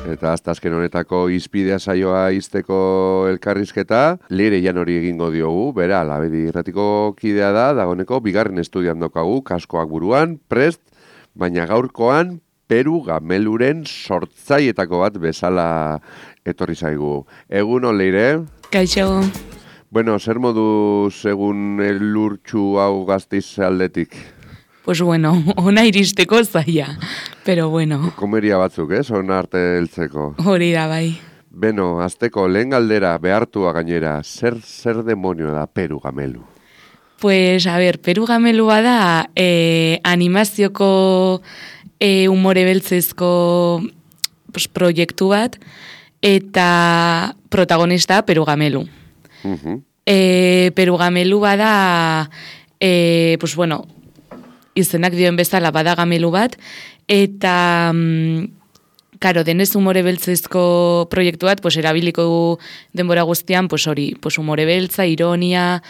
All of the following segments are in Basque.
Eta azken honetako izpidea saioa izteko elkarrizketa, Leire Janori egingo diogu, bera, Labedi irratiko kidea da, dagoeneko bigarren estudian daukagu, kaskoak buruan, prest, baina gaurkoan Peru Gameluren sortzaietako bat bezala etorri zaigu. Egun Leire? Kaixo. Bueno, zer moduz egun elurtxu hau Gasteiz aldetik? Pues bueno, ona iristeko zaila, pero bueno. Komeria batzuk, ona arte heltzeko. Hori da, bai. Beno, azteko lehen galdera behartua gainera, zer demonio da Peru Gamelu? Pues, a ver, Peru Gamelu bada animazioko umore beltzezko proiektu bat, eta protagonista Peru Gamelu. Peru Gamelu bada, pues bueno, izenak dioen bezala bada gamelu bat, eta, karo, denez umore beltzezko proiektu bat, pues erabiliko denbora guztian, pues hori, pues umore beltza, ironia,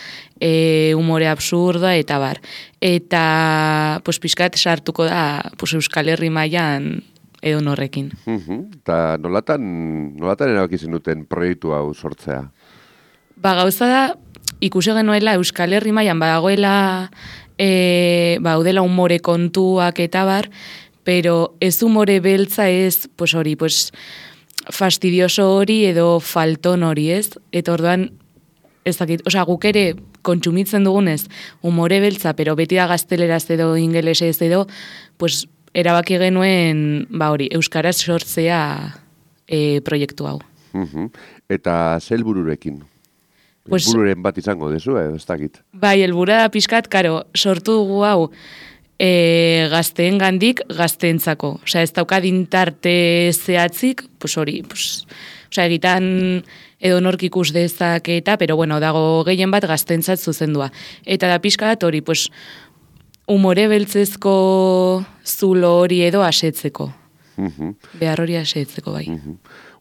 umore absurda, eta bar. Eta, pues pixkat sartuko da, pues Euskal Herri mailan edo norrekin. Eta nolatan erabaki zenuten proiektu hau sortzea? Ba, gauza da, ikusi genuela Euskal Herri mailan badagoela udela umore kontuak eta bar, pero ez umore beltza ez, pues hori, pues fastidioso hori edo falton hori ez, eta orduan, ez dakit, osea, guk ere kontsumitzen dugunez umore beltza, pero beti da gazteleraz edo ingelesez edo, pues erabaki genuen, ba hori, euskaraz sortzea proiektu hau. Eta zer helbururekin? Pues, helbururen bat izango dezu, ez dakit. Bai, helburua da pixkat, karo, sortu dugu hau gazteen gandik gazteentzako. Osea, ez dauka dintarte zehatzik, pues hori, pues, osea, egitan edo nork ikus dezak eta, pero bueno, dago gehien bat gazteentzat zuzendua. Eta da pixkat hori, pues, umore beltzezko zulo hori edo asetzeko. Behar hori asetzeko, bai.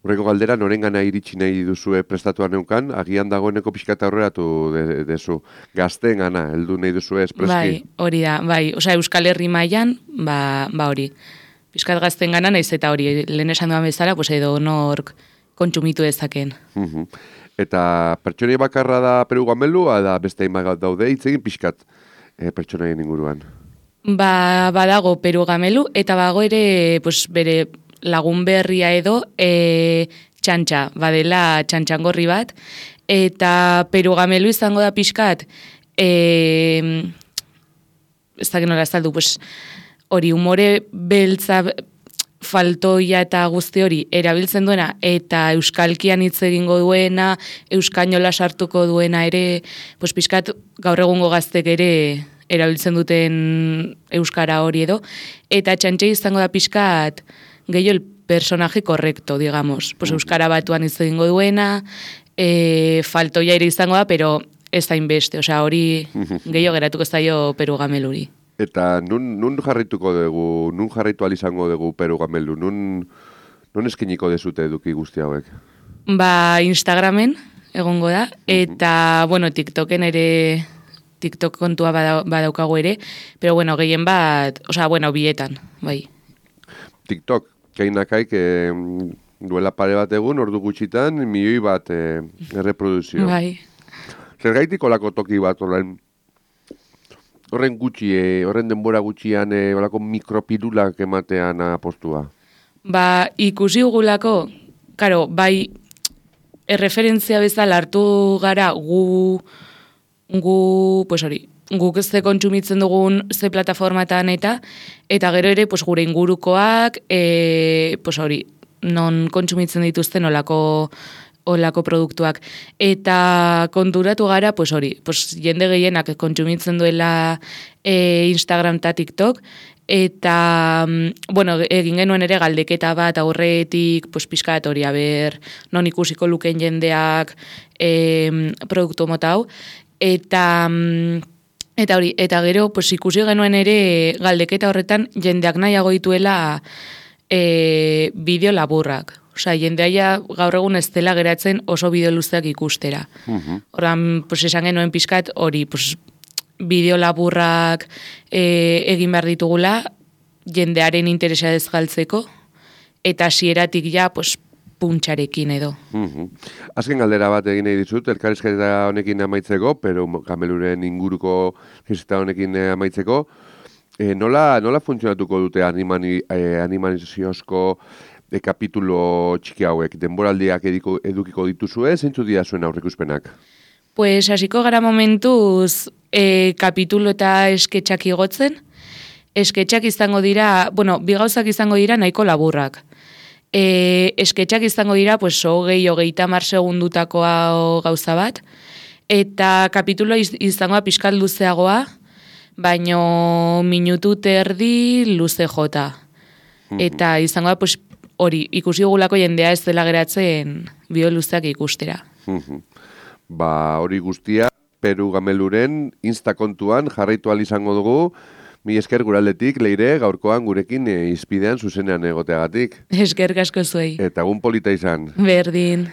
Horreko galdera, norengana iritsi nahi duzue prestatuan neukan, agian dagoeneko pixkata horreratu dezu. Gazteen gana, heldu nahi duzue espreski? Bai, hori da, bai. Osea, Euskal Herri mailan, ba hori. Pixkat gazteen gana, naiz eta hori, lehen esan duan bezala, pues edo nork kontsumitu dezaken. Eta pertsonei bakarra da Peru Gamelu, da beste hainbat daude, hitz egin pixkat pertsonaien inguruan? Ba, badago Peru Gamelu, eta bago ere, pues bere lagun berria edo txantxa, badela txantxangorri bat, eta Peru Gamelu izango da pixkat, ez dakit nola azaldu, pues, hori umore beltza faltoia eta guzti hori erabiltzen duena, eta euskalkian hitz egingo duena, euskainola sartuko duena ere, pues pixkat gaur egungo gaztek ere erabiltzen duten euskara hori edo, eta txantxe izango da pixkat, gehiago el personaje correcto, digamos. Pues euskara batuan hitz egingo duena, faltoia ere izango da, pero ez da inbeste. Osea, hori gehiago geratuko zaio Peru Gameluri. Eta nun jarrituko dugu, nun jarritu izango dugu Peru Gamelu? Nun eskiniko dezute eduki guzti hauek? Ba, Instagramen egongo da, eta, bueno, TikToken ere, TikTok kontua badaukagu ere, pero, bueno, gehien bat, osea, bueno, bietan, bai. TikTok, kainakaik duela pare bat egun, ordu gutxitan, milioi bat erreproduzio. Bai. Zergaitik olako toki bat horren gutxi, horren denbora gutxian olako mikropirulak ematean apostua? Ba, ikusi gugulako, karo, bai, erreferentzia bezala hartu gara gu, pues hori, guk ez kontsumitzen dugun ze plataformatan eta gero ere pues, gure ingurukoak, pues hori, non kontsumitzen dituzten olako produktuak. Eta konturatu gara, pues hori, pues jende gehienak kontsumitzen duela Instagram eta TikTok, eta, bueno, egin genuen ere galdeketa bat aurretik, pues pixkat hori, aber, non ikusiko luken jendeak produktu mota hau, eta hori, eta gero, pues ikusi genuen ere galdeketa horretan jendeak nahiago dituela bideo laburrak. Osea, jendea gaur egun ez dela geratzen oso bideo luzeak ikustera. Horran, pues esan genuen pixkat hori, pues bideo laburrak egin behar ditugula jendearen interesa ez galtzeko, eta hasieratik ja, pues, puntxarekin edo. Azken galdera bat egin nahi dizut, elkarrizketa honekin amaitzeko, pero Gameluren inguruko elkarrizketa honekin amaitzeko, nola funtzionatuko dute animaziozko kapitulo txiki hauek? Denboraldiak edukiko dituzue, zeintzu dira zuen aurreikuspenak? Pues hasiko gara momentuz kapitulo eta esketxak igotzen. Esketxak izango dira, bueno, bi gauzak izango dira nahiko laburrak. Esketxak izango dira, pues, 20-30 segundutakoa gauza bat, eta kapitulo izangoa pixkat luzeagoa, baino minutu terdi luze jota. Eta izangoa, pues, hori, ikusi dugulako jendea ez dela geratzen bio luzeak ikustera. Hori guztia, Peru Gameluren Insta kontuan jarraitu ahal izango dugu. Mi esker guraldetik, Leire, gaurkoan gurekin izpidean zuzenean egoteagatik. Esker asko zuei. Eta egun polita izan. Berdin.